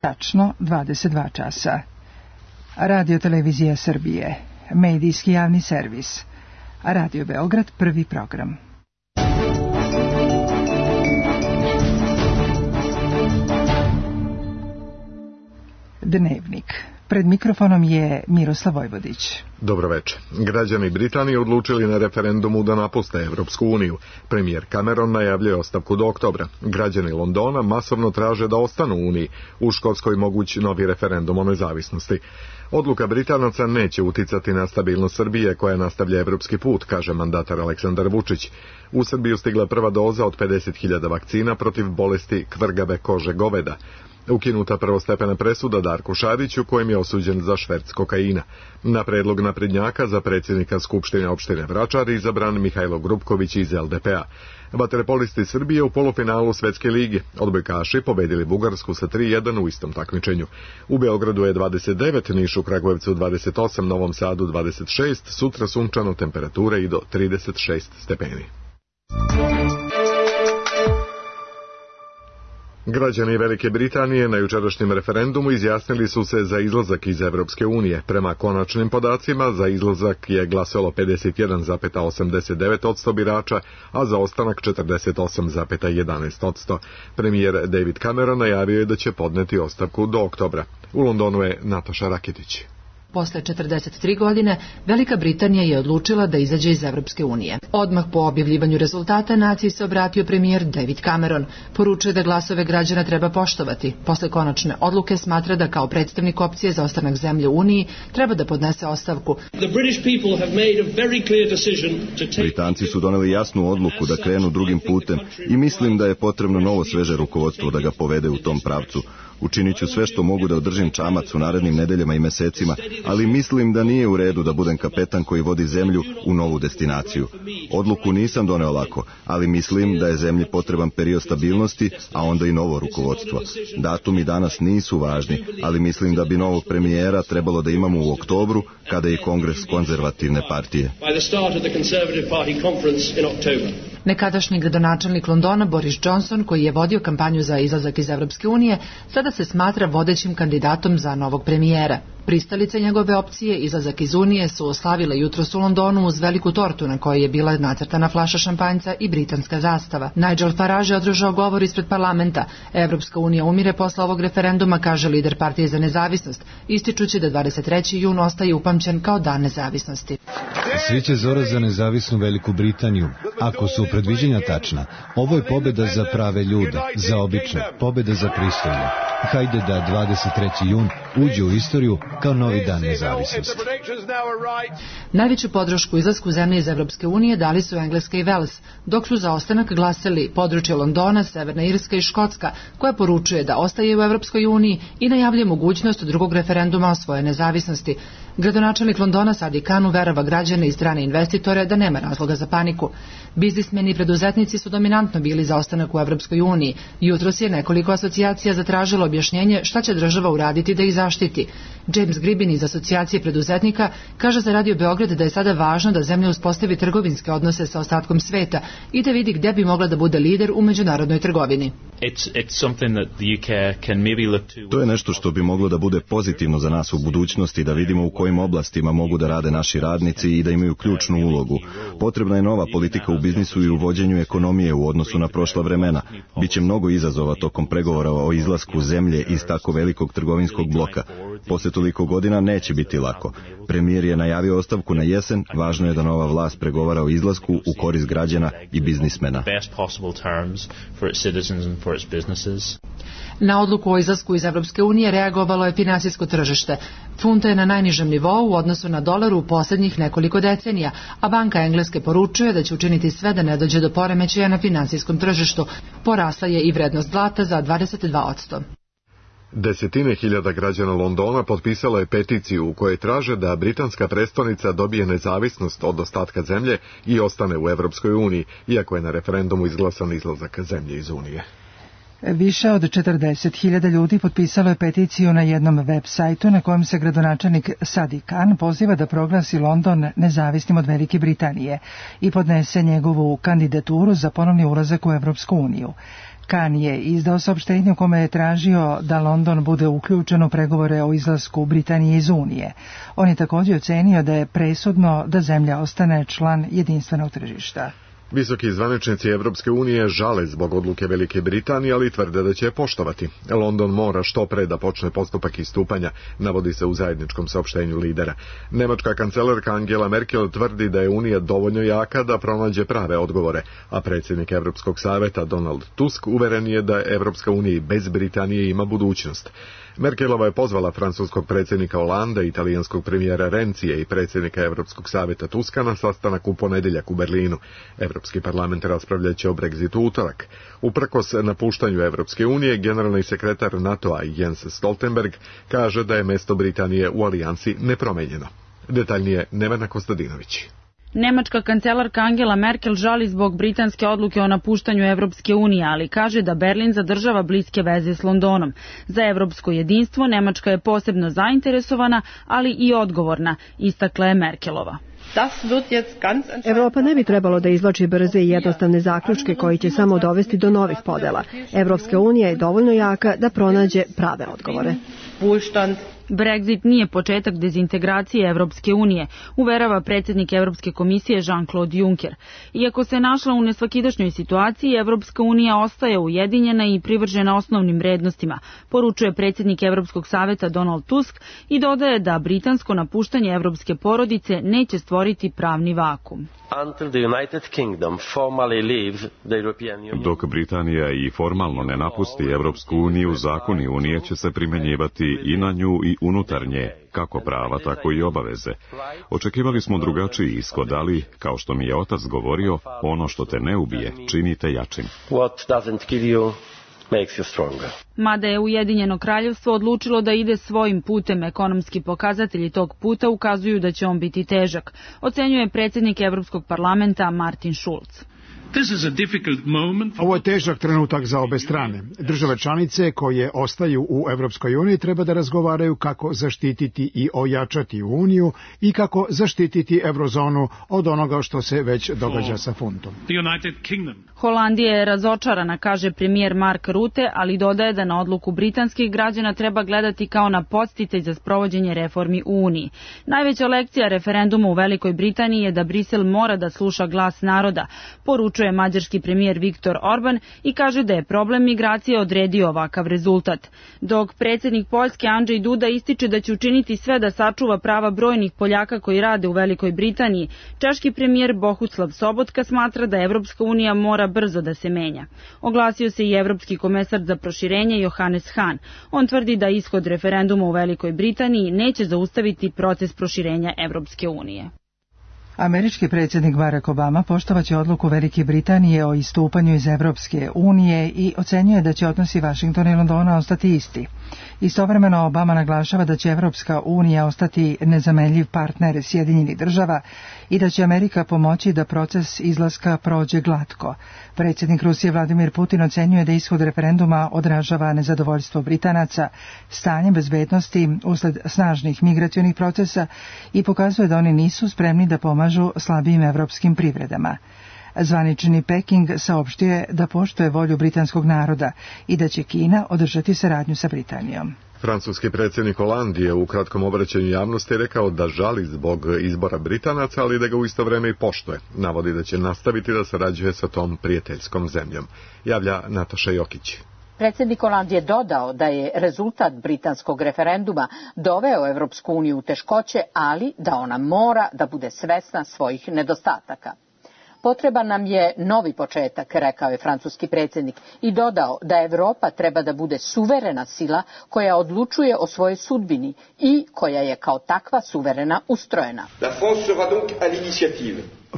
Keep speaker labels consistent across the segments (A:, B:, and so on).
A: Tačno 22 časa. Radio Televizija Srbije, medijski javni servis. Radio Beograd, prvi program. Dnevnik. Pred mikrofonom je Miroslav Vojvodić.
B: Dobro večer. Građani Britanije odlučili na referendumu da napuste Evropsku uniju. Premijer Cameron najavljuje ostavku do oktobra. Građani Londona masovno traže da ostanu u Uniji. U Škotskoj moguć novi referendum o nezavisnosti. Odluka Britanaca neće uticati na stabilnost Srbije koja nastavlja evropski put, kaže mandatar Aleksandar Vučić. U Srbiju stigla prva doza od 50.000 vakcina protiv bolesti kvrgave kože goveda. Ukinuta prvostepena presuda Darku Šariću, kojem je osuđen za šverc kokaina. Na predlog naprednjaka za predsjednika Skupštine opštine Vračar izabran Mihajlo Grubković iz LDP-a. Vaterpolisti Srbije u polufinalu Svetske lige. Odbojkaši pobedili Bugarsku sa 3:1 u istom takmičenju. U Beogradu je 29, Nišu, Kragujevcu 28, Novom Sadu 26, sutra sunčano, temperature i do 36 stepeni. Građani Velike Britanije na jučerašnjem referendumu izjasnili su se za izlazak iz Evropske unije. Prema konačnim podacima, za izlazak je glasalo 51,89% birača, a za ostanak 48,11%. Premijer David Cameron najavio je da će podneti ostavku do oktobra. U Londonu je Nataša Rakitić.
C: Posle 43 godine, Velika Britanija je odlučila da izađe iz Evropske unije. Odmah po objavljivanju rezultata naciji se obratio premijer David Cameron. Poručuje da glasove građana treba poštovati. Posle konačne odluke smatra da kao predstavnik opcije za ostanak zemlje u Uniji treba da podnese ostavku.
D: Britanci su doneli jasnu odluku da krenu drugim putem i mislim da je potrebno novo sveže rukovodstvo da ga povede u tom pravcu. Učinit ću sve što mogu da održim čamac u narednim nedeljama i mesecima, ali mislim da nije u redu da budem kapetan koji vodi zemlju u novu destinaciju. Odluku nisam doneo lako, ali mislim da je zemlji potreban period stabilnosti, a onda i novo rukovodstvo. Datumi danas nisu važni, ali mislim da bi novog premijera trebalo da imamo u oktobru, kada je Kongres konzervativne partije.
C: Nekadašnji gradonačelnik Londona Boris Johnson, koji je vodio kampanju za izlazak iz Evropske unije, sada se smatra vodećim kandidatom za novog premijera. Pristalice njegove opcije, izlazak iz Unije, su oslavile jutros u Londonu uz veliku tortu na kojoj je bila nacrtana flaša šampanjca i britanska zastava. Nigel Farage je održao govor ispred parlamenta. Evropska unija umire posle ovog referenduma, kaže lider partije za nezavisnost, ističući da 23. jun ostaje upamćen kao dan nezavisnosti.
E: Sreća zora za nezavisnu Veliku Britaniju. Ako su predviđenja tačna, ovo je pobjeda za prave ljude, za obične, pobjeda za pristojne. Hajde da 23. jun uđe u istoriju kao novi dan nezavisnosti.
C: Najveću podršku izlasku zemlje iz Evropske unije dali su Engleska i Vels, dok su za ostanak glasali područje Londona, Severna Irska i Škotska, koja poručuje da ostaje u Evropskoj uniji i najavljuje mogućnost drugog referenduma o svojoj nezavisnosti. Gradonačelnik Londona Sadiq Khan uverava građane i strane investitore da nema razloga za paniku. Biznismeni i preduzetnici su dominantno bili za ostanak u Evropskoj uniji. Jutros je nekoliko asocijacija zatražilo objašnjenje šta će država uraditi da ih zaštiti. James Gribin iz asocijacije preduzetnika kaže za Radio Beograd da je sada važno da zemlja uspostavi trgovinske odnose sa ostatkom sveta i da vidi gde bi mogla da bude lider u međunarodnoj trgovini.
D: To je nešto što bi moglo da bude pozitivno za nas u budućnosti, da vidimo u kojim oblastima mogu da rade naši radnici i da imaju ključnu ulogu. Potrebna je nova politika u biznisu i u vođenju ekonomije u odnosu na prošla vremena. Biće mnogo izazova tokom pregovora o izlasku zemlje iz tako velikog trgovinskog bloka. Posle toliko godina neće biti lako. Premijer je najavio ostavku na jesen, važno je da nova vlast pregovara o izlasku u korist građana i biznismena.
C: Na odluku o izlasku iz Evropske unije reagovalo je finansijsko tržište. Funta je na najnižem nivou u odnosu na dolar u posljednjih nekoliko decenija, a Banka Engleske poručuje da će učiniti sve da ne dođe do poremećaja na finansijskom tržištu. Porasla je i vrednost zlata za 22%.
B: Desetine hiljada građana Londona potpisalo je peticiju u kojoj traže da britanska prestonica dobije nezavisnost od ostatka zemlje i ostane u Evropskoj uniji, iako je na referendumu izglasan izlazak zemlje iz Unije.
A: Više od 40.000 ljudi potpisalo je peticiju na jednom web sajtu na kojem se gradonačelnik Sadiq Khan poziva da proglasi London nezavisnim od Velike Britanije i podnese njegovu kandidaturu za ponovni ulazak u Evropsku uniju. Khan je izdao saopštenje u kome je tražio da London bude uključen u pregovore o izlasku Britanije iz Unije. On je također ocenio da je presudno da zemlja ostane član jedinstvenog tržišta.
B: Visoki zvaničnici Evropske unije žale zbog odluke Velike Britanije, ali tvrde da će je poštovati. London mora što pre da počne postupak istupanja, navodi se u zajedničkom saopštenju lidera. Nemačka kancelarka Angela Merkel tvrdi da je Unija dovoljno jaka da pronađe prave odgovore, a predsjednik Evropskog saveta Donald Tusk uveren je da Evropska unija i bez Britanije ima budućnost. Merkelova je pozvala francuskog predsjednika Holanda, italijanskog premijera Rencije i predsjednika Evropskog saveta Tuska na sastanak u ponedjeljak u Berlinu. Evropski parlament raspravljaće o Brexitu utorak. Uprkos napuštanju Evropske unije, generalni sekretar NATO-a Jens Stoltenberg kaže da je mjesto Britanije u alijansi nepromenjeno. Detaljnije Nevena Kostadinović.
F: Nemačka kancelarka Angela Merkel žali zbog britanske odluke o napuštanju Evropske unije, ali kaže da Berlin zadržava bliske veze s Londonom. Za evropsko jedinstvo Nemačka je posebno zainteresovana, ali i odgovorna, istakla je Merkelova.
G: Evropa ne bi trebalo da izvlači brze i jednostavne zaključke koji će samo dovesti do novih podela. Evropska unija je dovoljno jaka da pronađe prave odgovore.
F: Brexit nije početak dezintegracije Evropske unije, uverava predsjednik Evropske komisije Jean-Claude Juncker. Iako se našla u nesvakidašnjoj situaciji, Evropska unija ostaje ujedinjena i privržena osnovnim vrednostima, poručuje predsjednik Evropskog saveta Donald Tusk i dodaje da britansko napuštanje evropske porodice neće stvoriti pravni vakum.
H: Dok Britanija i formalno ne napusti Evropsku uniju, zakoni Unije će se primjenjivati i na nju i unutar nje, kako prava, tako i obaveze. Očekivali smo drugačiji ishod, ali, kao što mi je otac govorio, ono što te ne ubije, čini te jačim.
F: Mada je Ujedinjeno kraljevstvo odlučilo da ide svojim putem, ekonomski pokazatelji tog puta ukazuju da će on biti težak, ocenjuje predsjednik Evropskog parlamenta Martin Schulz.
I: Ovo je težak trenutak za obe strane. Države članice koje ostaju u Evropskoj uniji treba da razgovaraju kako zaštititi i ojačati Uniju i kako zaštititi eurozonu od onoga što se već događa sa funtom.
F: Holandija je razočarana, kaže premijer Mark Rutte, ali dodaje da na odluku britanskih građana treba gledati kao na podsticaj za sprovođenje reformi u Uniji. Najveća lekcija referenduma u Velikoj Britaniji je da Brisel mora da sluša glas naroda, poručuje mađarski premijer Viktor Orban i kaže da je problem migracije odredio ovakav rezultat. Dok predsjednik Poljske Andrzej Duda ističe da će učiniti sve da sačuva prava brojnih Poljaka koji rade u Velikoj Britaniji, češki premijer Bohuslav Sobotka smatra da Evropska unija mora brzo da se menja. Oglasio se i evropski komesar za proširenje Johannes Hahn. On tvrdi da ishod referenduma u Velikoj Britaniji neće zaustaviti proces proširenja Evropske unije.
A: Američki predsjednik Barack Obama poštovaće odluku Velike Britanije o istupanju iz Evropske unije i ocenjuje da će odnosi Vašingtona i Londona ostati isti. Istovremeno Obama naglašava da će Evropska unija ostati nezamenljiv partner Sjedinjenih država i da će Amerika pomoći da proces izlaska prođe glatko. Predsjednik Rusije Vladimir Putin ocenjuje da ishod referenduma odražava nezadovoljstvo Britanaca stanjem bezbednosti usled snažnih migracionih procesa i pokazuje da oni nisu spremni da pomažu slabijim evropskim privredama. Zvanični Peking saopštio je da poštuje volju britanskog naroda i da će Kina održati saradnju sa Britanijom.
B: Francuski predsjednik Holandije u kratkom obraćanju javnosti rekao da žali zbog izbora Britanaca, ali da ga u isto vrijeme i poštuje. Navodi da će nastaviti da sarađuje sa tom prijateljskom zemljom. Javlja Nataša Jokić.
J: Predsjednik Holandije dodao da je rezultat britanskog referenduma doveo Evropsku uniju u teškoće, ali da ona mora da bude svesna svojih nedostataka. Potreban nam je novi početak, rekao je francuski predsjednik i dodao da Evropa treba da bude suverena sila koja odlučuje o svojoj sudbini i koja je kao takva suverena ustrojena.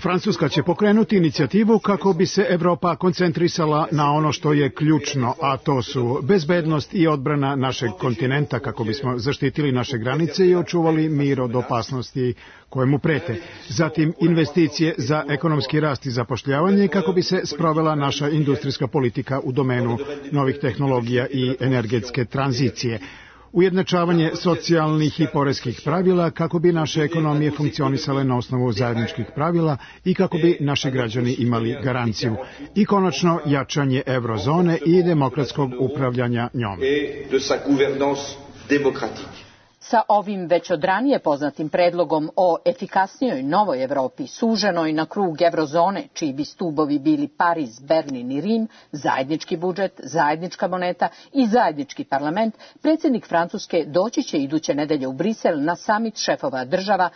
I: Francuska će pokrenuti inicijativu kako bi se Evropa koncentrisala na ono što je ključno, a to su bezbednost i odbrana našeg kontinenta kako bismo zaštitili naše granice i očuvali mir od opasnosti koje mu prete. Zatim investicije za ekonomski rast i zapošljavanje kako bi se sprovela naša industrijska politika u domenu novih tehnologija i energetske tranzicije. ujednačavanje socijalnih i poreskih pravila kako bi naše ekonomije funkcionisale na osnovu zajedničkih pravila i kako bi naši građani imali garanciju. I konačno jačanje eurozone i demokratskog upravljanja njom.
J: Sa ovim već od ranije poznatim predlogom o efikasnijoj novoj Evropi, suženoj na krug eurozone, čiji bi stubovi bili Pariz, Berlin i Rim, zajednički budžet, zajednička moneta i zajednički parlament, predsjednik Francuske doći će iduće nedelje u Brisel na samit šefova država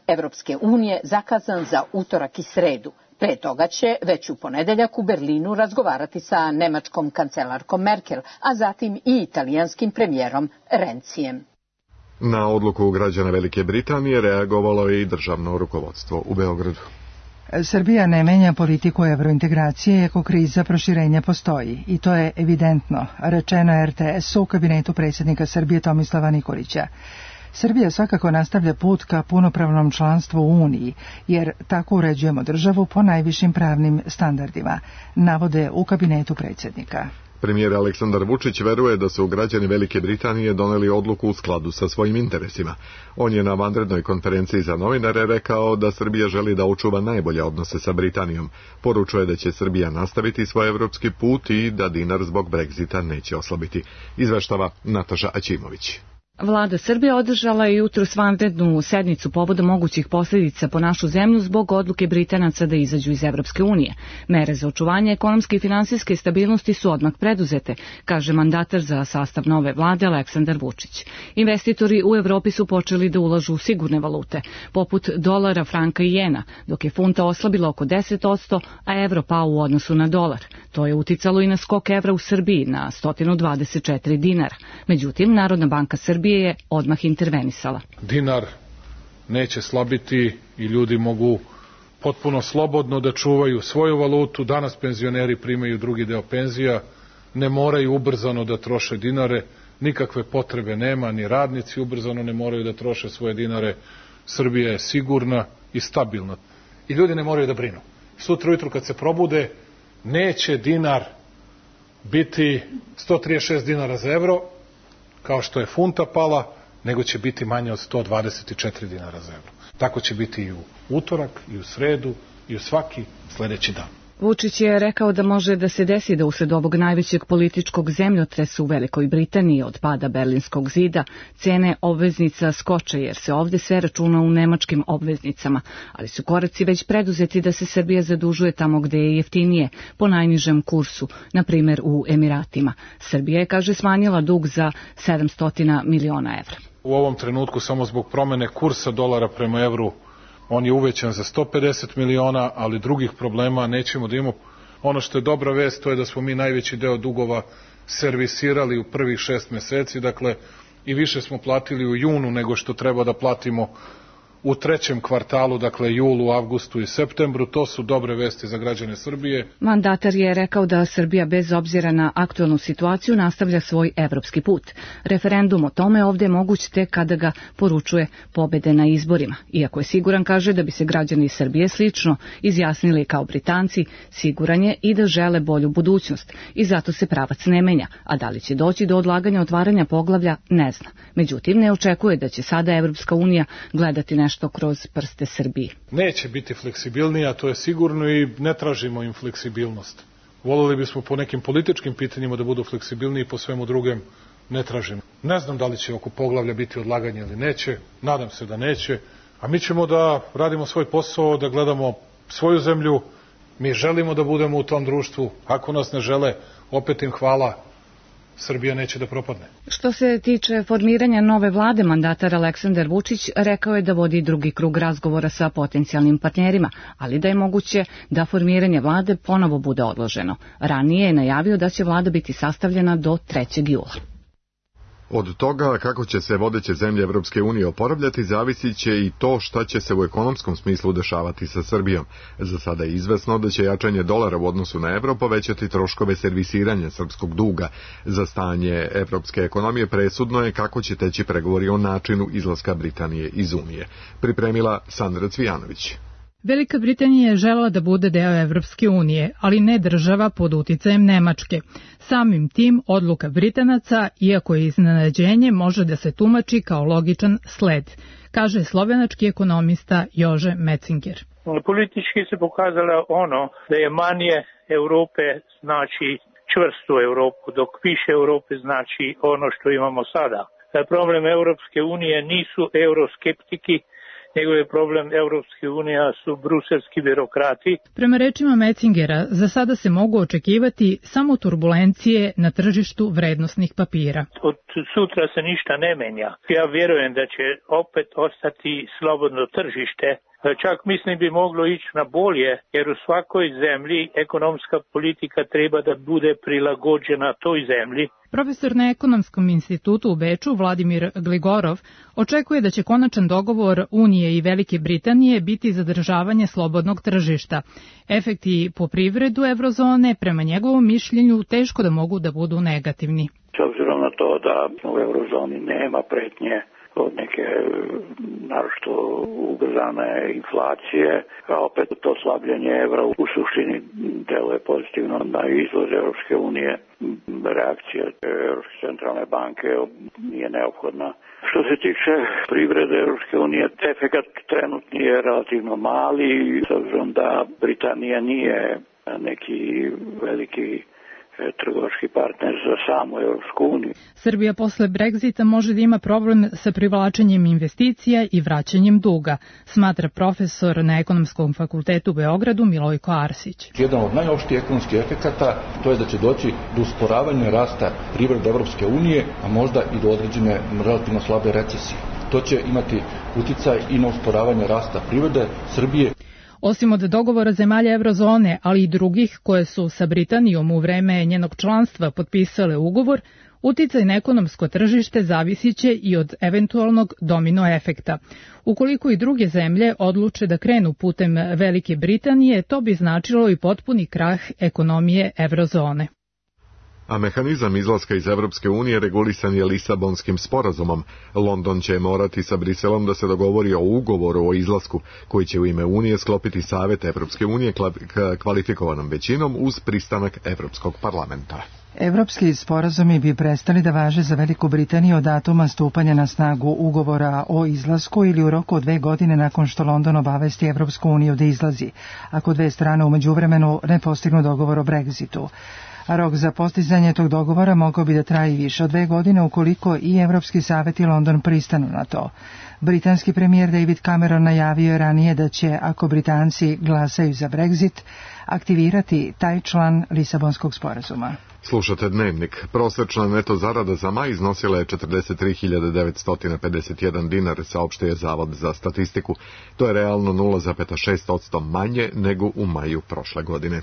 J: Evropske unije zakazan za utorak i sredu. Pre toga će već u ponedeljak u Berlinu razgovarati sa nemačkom kancelarkom Merkel, a zatim i italijanskim premijerom Rencijem.
B: Na odluku građana Velike Britanije reagovalo je i državno rukovodstvo u Beogradu.
A: Srbija ne menja politiku evrointegracije iako kriza proširenja postoji i to je evidentno, rečeno RTS-u u kabinetu predsjednika Srbije Tomislava Nikolića. Srbija svakako nastavlja put ka punopravnom članstvu u Uniji, jer tako uređujemo državu po najvišim pravnim standardima, navode u kabinetu predsjednika.
B: Premijer Aleksandar Vučić veruje da su građani Velike Britanije doneli odluku u skladu sa svojim interesima. On je na vanrednoj konferenciji za novinare rekao da Srbija želi da očuva najbolje odnose sa Britanijom. Poručuje da će Srbija nastaviti svoj evropski put i da dinar zbog Brexita neće oslabiti. Izveštava Nataša Aćimović.
K: Vlada Srbije održala je jutros vanrednu sednicu povodom mogućih posljedica po našu zemlju zbog odluke Britanaca da izađu iz Evropske unije. Mere za očuvanje ekonomske i finansijske stabilnosti su odmah preduzete, kaže mandatar za sastav nove vlade Aleksandar Vučić. Investitori u Evropi su počeli da ulažu u sigurne valute, poput dolara, franka i jena, dok je funta oslabila oko 10%, a evro pao u odnosu na dolar. To je uticalo i na skok evra u Srbiji na 124 dinara. Međutim, Narodna banka Srbije je odmah intervenisala.
L: Dinar neće slabiti i ljudi mogu potpuno slobodno da čuvaju svoju valutu. Danas penzioneri primaju drugi deo penzija, ne moraju ubrzano da troše dinare, nikakve potrebe nema, ni radnici ubrzano ne moraju da troše svoje dinare. Srbija je sigurna i stabilna. I ljudi ne moraju da brinu. Sutra ujutru kad se probude, neće dinar biti 136 dinara za evro, kao što je funta pala, nego će biti manje od 124 dinara za evro. Tako će biti i u utorak, i u sredu, i u svaki sledeći dan.
K: Vučić je rekao da može da se desi da usled ovog najvećeg političkog zemljotresa u Velikoj Britaniji od pada Berlinskog zida cene obveznica skoče jer se ovde sve računa u nemačkim obveznicama, ali su koraci već preduzeti da se Srbija zadužuje tamo gde je jeftinije, po najnižem kursu, na primer u Emiratima. Srbija je, kaže, smanjila dug za 700 miliona evra.
L: U ovom trenutku samo zbog promene kursa dolara prema evru on je uvećan za 150 miliona, ali drugih problema nećemo da imamo. Ono što je dobra vest, to je da smo mi najveći deo dugova servisirali u prvih 6 meseci, dakle i više smo platili u junu nego što treba da platimo u trećem kvartalu, dakle julu, avgustu i septembru. To su dobre vesti za građane Srbije.
K: Mandatar je rekao da Srbija bez obzira na aktualnu situaciju nastavlja svoj evropski put. Referendum o tome ovde je moguć tek kada ga poručuje pobede na izborima. Iako je siguran, kaže, da bi se građani Srbije slično izjasnili kao Britanci, siguran je i da žele bolju budućnost i zato se pravac ne menja, a da li će doći do odlaganja otvaranja poglavlja ne zna. Međutim, ne očekuje da će sada Evropska unija gledati nešto kroz prste Srbije.
L: Neće biti fleksibilnija, to je sigurno, i ne tražimo im fleksibilnost. Voleli bismo po nekim političkim pitanjima da budu fleksibilniji, po svemu drugem ne tražimo. Ne znam da li će oko poglavlja biti odlaganje ili neće, nadam se da neće, a mi ćemo da radimo svoj posao, da gledamo svoju zemlju, mi želimo da budemo u tom društvu, ako nas ne žele, opet im hvala, Srbija neće da propadne.
K: Što se tiče formiranja nove vlade, mandatar Aleksandar Vučić rekao je da vodi drugi krug razgovora sa potencijalnim partnerima, ali da je moguće da formiranje vlade ponovo bude odloženo. Ranije je najavio da će vlada biti sastavljena do 3. jula.
B: Od toga kako će se vodeće zemlje Evropske unije oporavljati zavisit će i to šta će se u ekonomskom smislu dešavati sa Srbijom. Za sada je izvesno da će jačanje dolara u odnosu na evro povećati troškove servisiranja srpskog duga. Za stanje evropske ekonomije presudno je kako će teći pregovori o načinu izlaska Britanije iz Unije. Pripremila Sandra Cvijanović.
M: Velika Britanija je želela da bude deo Evropske unije, ali ne država pod uticajem Nemačke. Samim tim, odluka Britanaca, iako je iznenađenje, može da se tumači kao logičan sled, kaže slovenački ekonomista Jože Metzinger.
N: Politički se pokazalo da je manje Evrope znači čvrstu Evropu, dok više Evrope znači ono što imamo sada. Problem Evropske unije nisu euroskeptiki, nego je problem Evropske unije su bruselski birokrati.
M: Prema rečima Metzingera, za sada se mogu očekivati samo turbulencije na tržištu vrednosnih papira.
N: Od sutra se ništa ne menja. Ja vjerujem da će opet ostati slobodno tržište. Čak mislim bi moglo ići na bolje, jer u svakoj zemlji ekonomska politika treba da bude prilagođena toj zemlji.
M: Profesor na Ekonomskom institutu u Beču, Vladimir Gligorov, očekuje da će konačan dogovor Unije i Velike Britanije biti zadržavanje slobodnog tržišta. Efekti po privredu eurozone, prema njegovom mišljenju, teško da mogu da budu negativni.
O: S obzirom na to da u eurozoni nema pretnje od neke naročito ubrzane inflacije, a opet to slabljenje evra u suštini deluje pozitivno na izvoz Europske unije. Reakcija Europske centralne banke nije neophodna. Što se tiče privrede Europske unije, efekat trenutni je relativno mali, s obzirom da Britanija nije neki veliki trgovački partner za samu Europsku uniju.
M: Srbija posle Brexita može da ima problem sa privlačenjem investicija i vraćanjem duga, smatra profesor na Ekonomskom fakultetu u Beogradu Milojko Arsić.
P: Jedan od najopštijih ekonomskih efekata to je da će doći do usporavanja rasta privrede Evropske unije, a možda i do određene relativno slabe recesije. To će imati uticaj i na usporavanje rasta privrede Srbije.
M: Osim od dogovora zemalja eurozone, ali i drugih koje su sa Britanijom u vreme njenog članstva potpisale ugovor, uticaj na ekonomsko tržište zavisiće i od eventualnog domino efekta. Ukoliko i druge zemlje odluče da krenu putem Velike Britanije, to bi značilo i potpuni krah ekonomije eurozone.
B: A mehanizam izlaska iz Evropske unije regulisan je Lisabonskim sporazumom. London će morati sa Briselom da se dogovori o ugovoru o izlasku, koji će u ime Unije sklopiti Savet Evropske unije kvalifikovanom većinom uz pristanak Evropskog parlamenta.
A: Evropski sporazumi bi prestali da važe za Veliku Britaniju od datuma stupanja na snagu ugovora o izlasku ili u roku od 2 godine nakon što London obavesti Evropsku uniju da izlazi, ako dve strane u međuvremenu ne postignu dogovor o Brexitu. A rok za postizanje tog dogovora mogao bi da traje više od 2 godine ukoliko i Evropski savet i London pristanu na to. Britanski premijer David Cameron najavio je ranije da će, ako Britanci glasaju za Brexit, aktivirati taj član Lisabonskog sporazuma.
B: Slušate Dnevnik. Prosečna neto zarada za maj iznosila je 43.951 dinar, saopštio je Zavod za statistiku. To je realno 0,6% manje nego u maju prošle godine.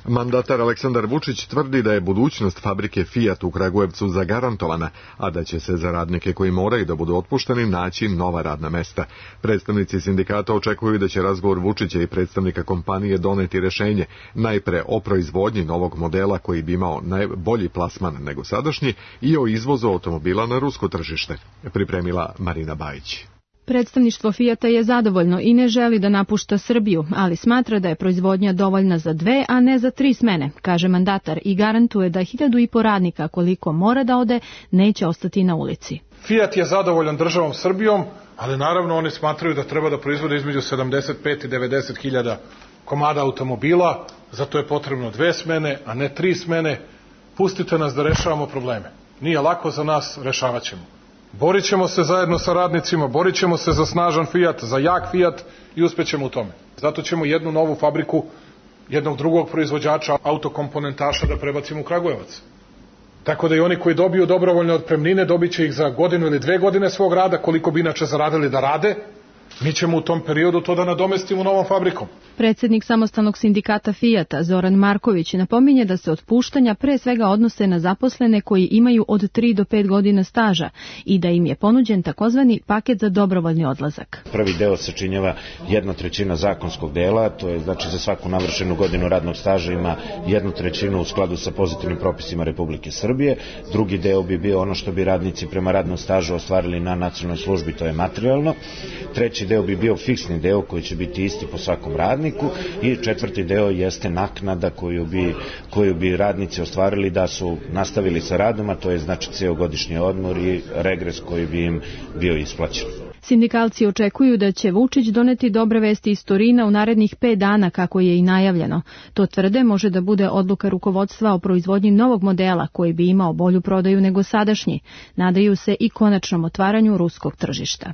B: Mandatar Aleksandar Vučić tvrdi da je budućnost fabrike Fiat u Kragujevcu zagarantovana, a da će se za radnike koji moraju da budu otpušteni naći nova radna mesta. Predstavnici sindikata očekuju da će razgovor Vučića i predstavnika kompanije doneti rešenje, najpre o proizvodnji novog modela koji bi imao bolji plasman nego sadašnji i o izvozu automobila na rusko tržište, pripremila Marina Bajić.
Q: Predstavništvo Fijata je zadovoljno i ne želi da napušta Srbiju, ali smatra da je proizvodnja dovoljna za 2, a ne za 3 smene, kaže mandatar i garantuje da 1.500 radnika koliko mora da ode neće ostati na ulici.
L: Fijat je zadovoljan državom Srbijom, ali naravno oni smatraju da treba da proizvode između 75 i 90 hiljada komada automobila, zato je potrebno 2 smene, a ne 3 smene. Pustite nas da rešavamo probleme. Nije lako za nas, rešavat ćemo. Borit ćemo se zajedno sa radnicima, borit ćemo se za snažan Fijat, za jak Fijat i uspećemo u tome. Zato ćemo jednu novu fabriku, jednog drugog proizvođača autokomponentaša da prebacimo u Kragujevac. Tako da i oni koji dobiju dobrovoljne otpremnine dobit će ih za 1 ili 2 godine svog rada, koliko bi inače zaradili da rade. Mi ćemo u tom periodu to da nadomestimo novom fabrikom.
Q: Predsjednik samostalnog sindikata Fijata, Zoran Marković, napominje da se otpuštanja pre svega odnose na zaposlene koji imaju od 3 do 5 godina staža i da im je ponuđen takozvani paket za dobrovoljni odlazak.
R: Prvi deo sačinjava 1/3 zakonskog dela, to je znači za svaku navršenu godinu radnog staža ima 1/3 u skladu sa pozitivnim propisima Republike Srbije. Drugi deo bi bio ono što bi radnici prema radnom stažu ostvarili na nacionalnoj službi, to je materijalno. Treći deo bi bio fiksni deo koji će biti isti po svakom radniku i četvrti deo jeste naknada koju bi radnici ostvarili da su nastavili sa radom, a to je znači ceo godišnji odmor i regres koji bi im bio isplaćen.
Q: Sindikalci očekuju da će Vučić doneti dobre vesti iz Torina u narednih 5 dana kako je i najavljeno. To tvrde može da bude odluka rukovodstva o proizvodnji novog modela koji bi imao bolju prodaju nego sadašnji. Nadaju se i konačnom otvaranju ruskog tržišta.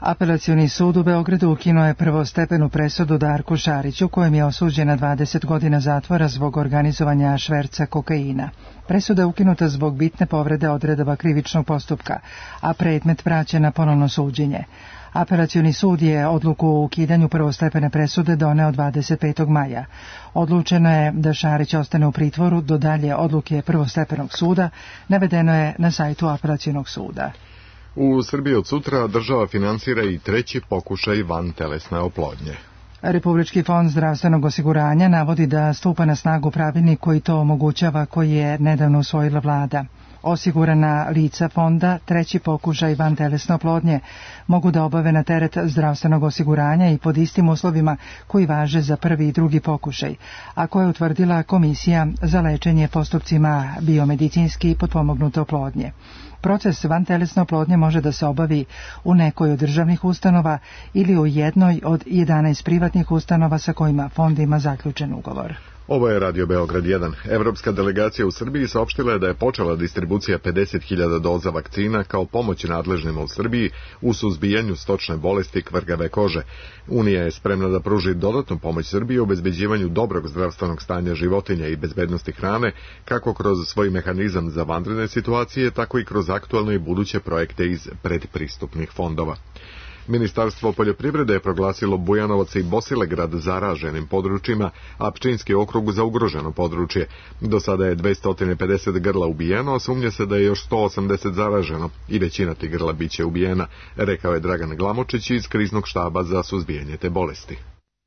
A: Apelacioni sud u Beogradu ukinuo je prvostepenu presudu Darku Šariću, kojem je osuđen na 20 godina zatvora zbog organizovanja šverca kokaina. Presuda je ukinuta zbog bitne povrede odredaba krivičnog postupka, a predmet vraćen na ponovno suđenje. Apelacioni sud je odluku o ukidanju prvostepene presude doneo 25. maja. Odlučeno je da Šarić ostane u pritvoru do dalje odluke prvostepenog suda, navedeno je na sajtu Apelacionog suda.
B: U Srbiji od sutra država finansira i treći pokušaj vantelesne oplodnje.
A: Republički fond zdravstvenog osiguranja navodi da stupa na snagu pravilnik koji to omogućava, koji je nedavno usvojila vlada. Osigurana lica fonda treći pokušaj vantelesne oplodnje mogu da obave na teret zdravstvenog osiguranja i pod istim uslovima koji važe za prvi i drugi pokušaj, a koje je utvrdila Komisija za lečenje postupcima biomedicinski potpomognute oplodnje. Proces vantelesne oplodnje može da se obavi u nekoj od državnih ustanova ili u jednoj od 11 privatnih ustanova sa kojima fond ima zaključen ugovor.
B: Ovo je Radio Beograd 1. Evropska delegacija u Srbiji saopštila je da je počela distribucija 50.000 doza vakcina kao pomoć nadležnima u Srbiji u suzbijanju stočne bolesti kvrgave kože. Unija je spremna da pruži dodatnu pomoć Srbiji u obezbeđivanju dobrog zdravstvenog stanja životinja i bezbednosti hrane, kako kroz svoj mehanizam za vanredne situacije, tako i kroz aktualne i buduće projekte iz predpristupnih fondova. Ministarstvo poljoprivrede je proglasilo Bujanovac i Bosilegrad zaraženim područjima, a Pčinjski okrug za ugroženo područje. Do sada je 250 grla ubijeno, a sumnja se da je još 180 zaraženo i većina tih grla biće ubijena, rekao je Dragan Glamočić iz kriznog štaba za suzbijanje te bolesti.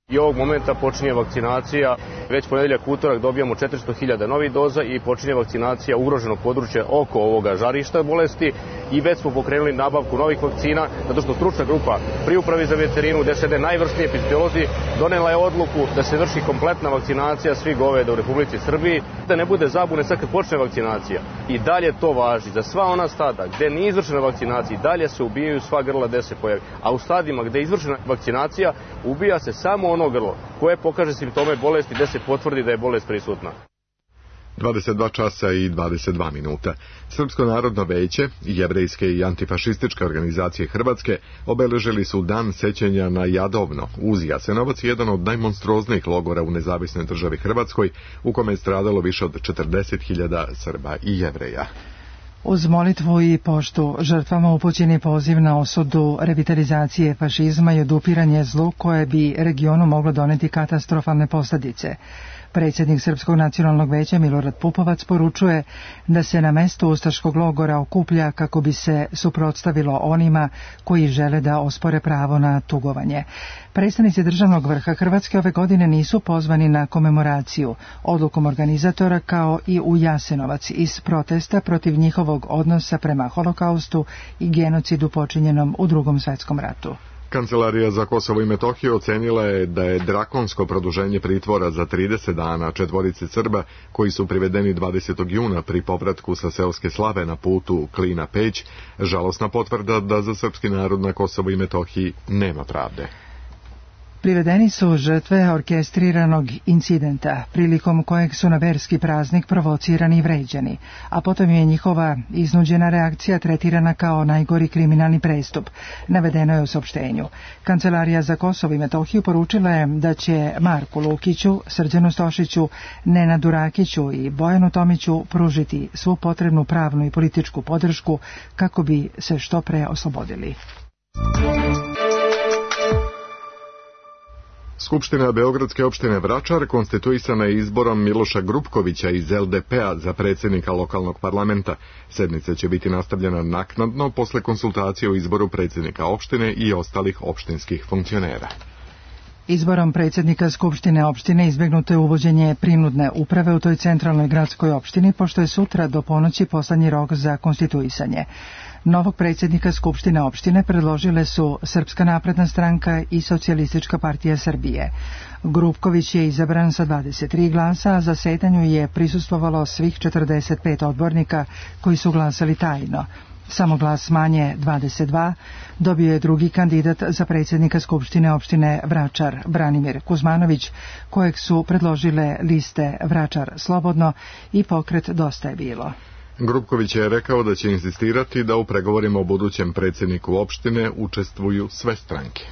S: I ovog momenta počinje vakcinacija, već ponedeljak utorak dobijamo 400.000 novih doza i počinje vakcinacija ugroženog područja oko ovoga žarišta bolesti i već smo pokrenuli nabavku novih vakcina, zato što stručna grupa pri upravi za veterinu, gde sede najvrsniji epidemiolozi, donela je odluku da se vrši kompletna vakcinacija svih goveda u Republici Srbiji, da ne bude zabune sad kad počne vakcinacija. I dalje to važi za sva ona stada gde nije izvršena vakcinacija, dalje se ubijaju sva grla gde se pojavi, a u stadima gde je izvršena vakcinacija ubija se samo ono grlo koje pokaže simptome bolesti gde se potvrdi da je bolest prisutna.
B: 22 časa i 22 minuta. Srpsko narodno veće, jevrejske i antifašističke organizacije Hrvatske obeležili su dan sećanja na Jadovno uz Jasenovac, jedan od najmonstruoznijih logora u nezavisnoj državi Hrvatskoj, u kome je stradalo više od 40.000 Srba i Jevreja.
A: Uz molitvu i poštu žrtvama upućen je poziv na osudu revitalizacije fašizma i odupiranje zlu koje bi regionu moglo doneti katastrofalne posljedice. Predsjednik Srpskog nacionalnog veća Milorad Pupovac poručuje da se na mestu ustaškog logora okuplja kako bi se suprotstavilo onima koji žele da ospore pravo na tugovanje. Predstavnici državnog vrha Hrvatske ove godine nisu pozvani na komemoraciju odlukom organizatora kao i u Jasenovac iz protesta protiv njihovog odnosa prema holokaustu i genocidu počinjenom u Drugom svjetskom ratu.
B: Kancelarija za Kosovo i Metohiju ocenila je da je drakonsko produženje pritvora za 30 dana četvorici Srba koji su privedeni 20. juna pri povratku sa seoske slave na putu Klina-Peć žalosna potvrda da za srpski narod na Kosovo i Metohiji nema pravde.
A: Privedeni su žrtve orkestriranog incidenta, prilikom kojeg su na verski praznik provocirani i vređani, a potom je njihova iznuđena reakcija tretirana kao najgori kriminalni prestup, navedeno je u saopštenju. Kancelarija za Kosovo i Metohiju poručila je da će Marku Lukiću, Srđanu Stošiću, Nenadu Rakiću i Bojanu Tomiću pružiti svu potrebnu pravnu i političku podršku kako bi se što pre oslobodili.
B: Skupština Beogradske opštine Vračar konstituisana je izborom Miloša Grupkovića iz LDP-a za predsjednika lokalnog parlamenta. Sednica će biti nastavljena naknadno posle konsultacije o izboru predsjednika opštine i ostalih opštinskih funkcionera.
A: Izborom predsjednika Skupštine opštine izbjegnuto je uvođenje prinudne uprave u toj centralnoj gradskoj opštini, pošto je sutra do ponoći poslednji rok za konstituisanje. Novog predsjednika Skupštine opštine predložile su Srpska napredna stranka i Socijalistička partija Srbije. Grupković je izabran sa 23 glasa, a zasedanju je prisustvovalo svih 45 odbornika koji su glasali tajno. Samo glas manje, 22, dobio je drugi kandidat za predsjednika Skupštine opštine Vračar, Branimir Kuzmanović, kojeg su predložile liste Vračar slobodno i pokret Dosta je bilo.
B: Grupković je rekao da će insistirati da u pregovorima o budućem predsjedniku opštine učestvuju sve stranke.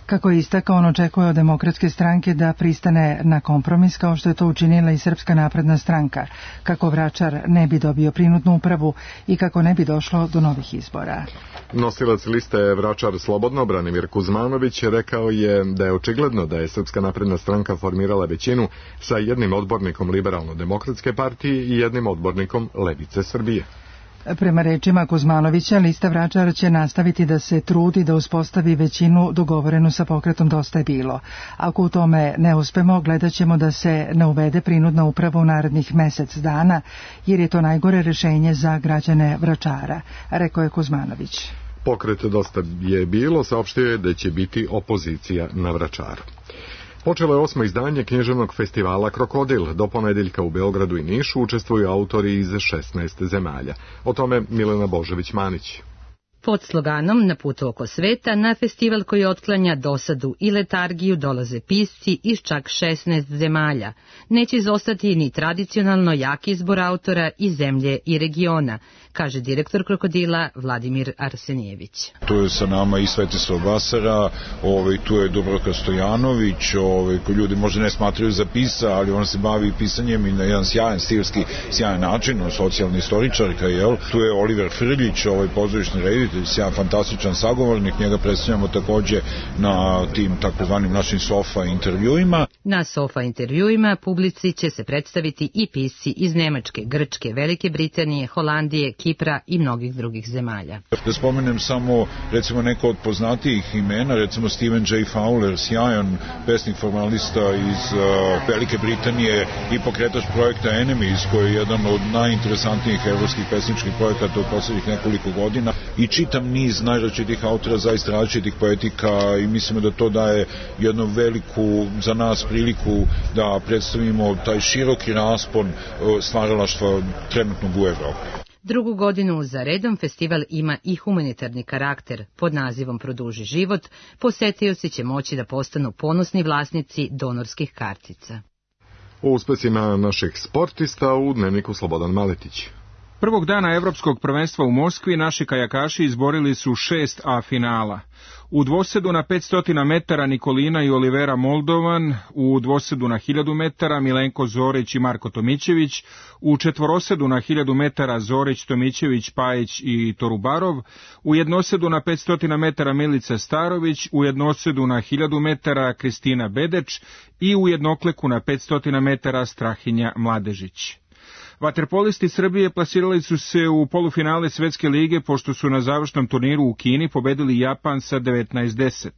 A: Kako je istakao, on očekuje od Demokratske stranke da pristane na kompromis, kao što je to učinila i Srpska napredna stranka, kako Vračar ne bi dobio prinudnu upravu i kako ne bi došlo do novih izbora.
B: Nosilac liste Vračar slobodno, Branimir Kuzmanović, rekao je da je očigledno da je Srpska napredna stranka formirala većinu sa jednim odbornikom Liberalno-demokratske partije i jednim odbornikom Levice Srbije.
A: Prema rečima Kuzmanovića, lista Vračar će nastaviti da se trudi da uspostavi većinu dogovorenu sa pokretom Dosta je bilo. Ako u tome ne uspemo, gledat ćemo da se ne uvede prinudna uprava u narednih mesec dana, jer je to najgore rešenje za građane Vračara, rekao je Kuzmanović.
B: Pokret Dosta je bilo saopštio je da će biti opozicija na Vračaru. Počelo je 8. izdanje književnog festivala Krokodil. Do ponedeljka u Beogradu i Nišu učestvuju autori iz 16 zemalja. O tome Milena Božević-Manić.
T: Pod sloganom Na putu oko sveta, na festival koji otklanja dosadu i letargiju dolaze pisci iz čak 16 zemalja. Neće izostati ni tradicionalno jak izbor autora iz zemlje i regiona, kaže direktor Krokodila Vladimir Arsenijević.
U: Tu je sa nama i Svetislav Basara, tu je Dubravka Stojanović, koji ljudi možda ne smatraju za pisa, ali on se bavi pisanjem i na jedan sjajan stilski, sjajan način, socijalna istoričarka, jel? Tu je Oliver Frljić, pozorišni reditelj, sjajan fantastičan sagovornik, njega predstavljamo takođe na tim takozvanim našim sofa intervjuima.
T: Na sofa intervjuima publici će se predstaviti i pisci iz Nemačke, Grčke, Velike Britanije, Holandije, Kipra i mnogih drugih zemalja.
U: Da spomenem samo, recimo, neko od poznatijih imena, recimo Stephen J. Fowler, sjajan pesnik formalista iz Velike Britanije i pokretač projekta Enemies, koji je jedan od najinteresantnijih evropskih pesničkih projekata u poslednjih nekoliko godina, i čitam niz najrazličitih autora, zaista različitih poetika, i mislimo da to daje jednu veliku za nas priliku da predstavimo taj široki raspon stvaralaštva trenutnog u Evropi.
T: Drugu godinu za redom festival ima i humanitarni karakter. Pod nazivom Produži život, posetioci će moći da postanu ponosni vlasnici donorskih kartica.
B: O uspesima naših sportista u dnevniku Slobodan Maletić.
V: Prvog dana Evropskog prvenstva u Moskvi naši kajakaši izborili su 6 A finala. U dvosedu na 500 metara Nikolina i Olivera Moldovan, u dvosedu na 1000 metara Milenko Zorić i Marko Tomićević, u četvorosedu na 1000 metara Zorić, Tomićević, Pajić i Torubarov, u jednosedu na 500 metara Milica Starović, u jednosedu na 1000 metara Kristina Bedeč i u jednokleku na 500 metara Strahinja Mladežić. Vaterpolisti Srbije plasirali su se u polufinale Svetske lige pošto su na završnom turniru u Kini pobedili Japan sa 19:10.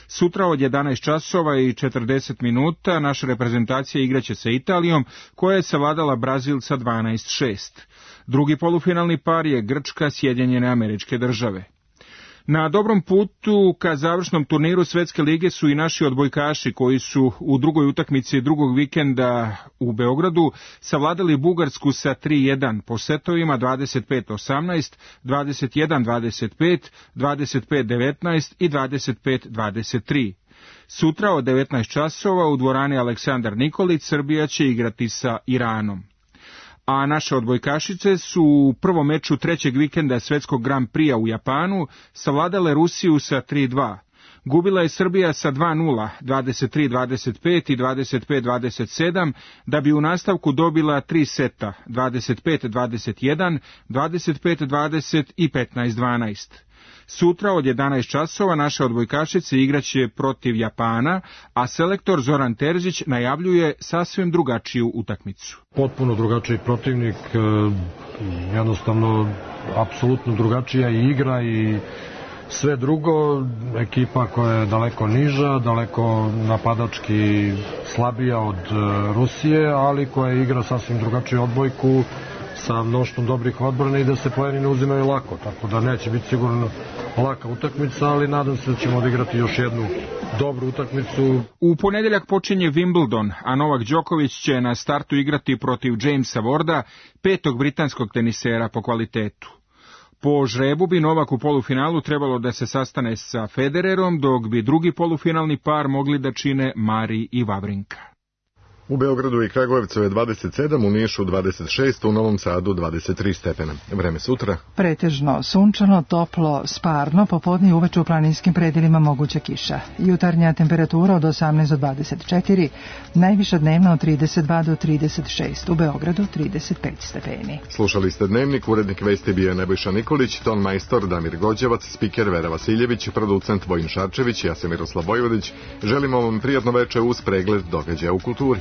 V: Sutra od 11 časova i 40 minuta naša reprezentacija igraće sa Italijom, koja je savladala Brazil sa 12:6. Drugi polufinalni par je Grčka, Sjedinjene Američke Države. Na dobrom putu ka završnom turniru Svetske lige su i naši odbojkaši koji su u drugoj utakmici drugog vikenda u Beogradu savladali Bugarsku sa 3:1 po setovima 25-18, 21-25, 25-19 i 25-23. Sutra od 19 časova u dvorani Aleksandar Nikolić Srbija će igrati sa Iranom. A naše odbojkašice su u prvom meču trećeg vikenda Svetskog Grand Prix u Japanu savladale Rusiju sa 3:2. Gubila je Srbija sa 2:0, 23-25 i 25-27, da bi u nastavku dobila 3 seta, 25-21, 25-20 i 15-12. Sutra od 11 časova naše odbojkašice igraće protiv Japana, a selektor Zoran Terzić najavljuje sasvim drugačiju utakmicu.
W: Potpuno drugačiji protivnik, jednostavno apsolutno drugačija i igra i Sve drugo, ekipa koja je daleko niža, daleko napadački slabija od Rusije, ali koja igra sasvim drugačiju odbojku sa mnoštvom dobrih odbrana i da se poeni ne uzimaju lako, tako da neće biti sigurno laka utakmica, ali nadam se da ćemo odigrati još jednu dobru utakmicu.
V: U ponedeljak počinje Wimbledon, a Novak Đoković će na startu igrati protiv Jamesa Warda, petog britanskog tenisera po kvalitetu. Po žrebu bi Novak u polufinalu trebalo da se sastane sa Federerom, dok bi drugi polufinalni par mogli da čine Mari i Vavrinka.
B: U Beogradu i Kragujevcu je 27, u Nišu 26, u Novom Sadu 23 stepena. Vreme sutra.
A: Pretežno sunčano, toplo, sparno, popodne i uveče u planinskim predelima moguća kiša. Jutarnja temperatura od 18 do 24, najviša dnevna od 32 do 36, u Beogradu 35 stepeni.
B: Slušali ste Dnevnik, urednik vesti bio Nebojša Nikolić, ton majstor Damir Gođevac, spiker Vera Vasiljević, producent Vojin Šarčević, ja sam Miroslav Vojvodić. Želimo vam prijatno veče uz pregled događaja u kulturi.